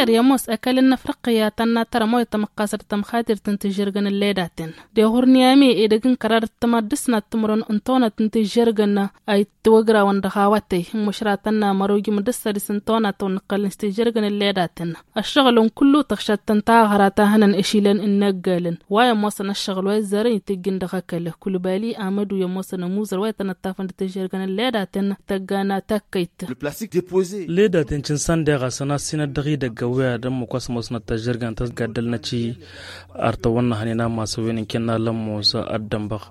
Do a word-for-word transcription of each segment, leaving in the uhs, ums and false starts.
Ămoos ăkall n-afriqya tănna tărămoy tamăqqasăt tamxatirt n-tižžărgăn n-ledaten. Deɣur n-yame edăgg n-kărar d-tămad d-ǝsnat timǝrăn n-tonăt n-tižžărgăn a ittăwăgrawăn dăɣ-awătăy n-măšratăn n-amăr ojǝm d-ǝssădis n-tonăt wa n-ǝqqălăn s-tižžărgăn n-ledaten. Ăššăɣǝlăn kullu tăɣšăt tăn-taɣăra ta hănăn ešilăn n-inăggălăn wa i-ămoosăn ăššăɣǝl wa izzarăn itǝjjǝn dăɣ-ăkall. Kulbali amădu i-ămoosăn ămuzăr wa itănăttafăn d-tižžărgăn n-ledaten tăggana takkăyt. Ledaten cǝnsan deɣ-asăn a ăssinăt dăɣ-idăgg ăwwiyad ǝmmǝk wa s-ămoosnăt tăžžărgăn tăsgaddălnăt i-artăwăn n-ahănen a masăwen n-kăyy n-alămmus ad-dănbăɣ.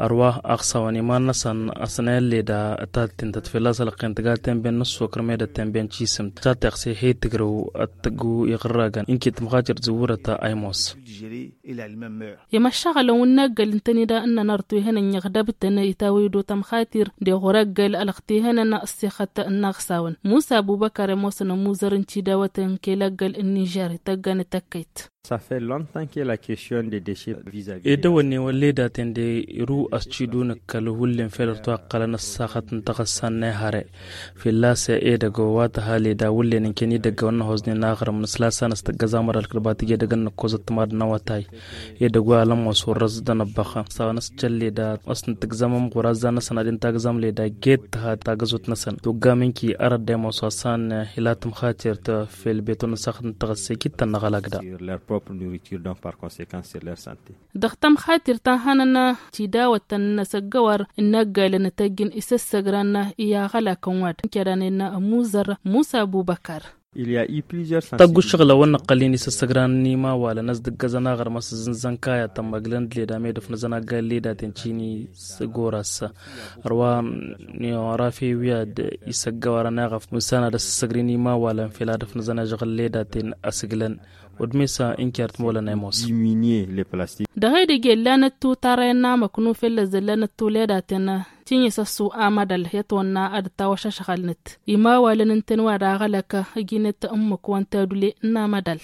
Ărwa aɣsawăn iman-năsăn asănayăn leda ta t-tintăt fălla-s ălăqqen tǝga temben n-ǝssokăr medăt temben cisǝmt ta teɣse he-tǝgrǝw ad-tăggu iɣǝrragăn ǝnki tǝmxatir tizǝwwǝrăt a ămoos. I-măššăɣălăn wi n-eggăl ǝntăne da ǝnnăn arăt wi hănăn iɣdăb-tăn itawăy-dd otămxatir deɣ wăr-eggăl ălăɣ ti hănăn ăṣṣixăt n-aɣsawăn musa abubăkar i-ămoosăn ămuzăr n-tidawăt n-kăy-ălăggăl n-nižer ităggan tăkkăyt. Edăwănne wăr ledaten de iru ăscidun ǝkkăl hullen fel ărtu a ǝqqălăn ăssaxăt n-taɣǝssa n-ehăre. Fălla-s edăgg wa tăha leda wullen ǝnken idăgg wa n-năhoẓnen aɣrǝm n-asla s-a n-ăstăggăz amăḍal kăl-batǝj edăgg n-năkkozăt timaḍ n-awătay. Edăgg wa alămos wăr-răs d-anăbbăx s-a wa n-ăscăl leda ăsnăt tǝgzăm ămɣur azzan-năsăn ad-intagzăm leda get tǝha tagăzut-năsăn tugga mǝnki arăt d-ămoos wa s-a n-ila tǝmxatirt. Fel beton n-saxăt n-taɣăsse kittăn n-aɣălak da. Dăɣ-tamxatirt ta n-hănăn tidawăt ta n-inăsăggăwăr n-eggălăn tăjjǝn isǝssăgran i-aɣălakăn wa-dăɣ n-kăranen ămuzăr musa abubăkar. Tăggu ǝššăɣǝl a-wa n-năqqălnen isǝssăgran n-imawalăn ăsdăggăzăn aɣrǝm ăsǝzzǝnzăn kaya tămmăglăn d-leda medăf n-azăn aggal ledaten cini s-goras. Ărwa n-iwărafe wi ad-isăggăwărăn eɣăf mǝssan ad-ăssăssăgrin imawalăn fel ad-ăfnăzăn ažăɣǝl ledaten ăsǝglăn. Udmesa inkert molănay mos. Dăɣ-edăgg i-ăllanăt tu tarrăyăn n-amăknu fellăzăl lanăt tu ledaten. Tinyǝsăssu amădăl i-ătwănna ad-tawăšăšɣălnăt imawalăn n-tăn wa d-aɣălăk. Ăjinăt ǝmmǝk wa n-tadule n-amădăl.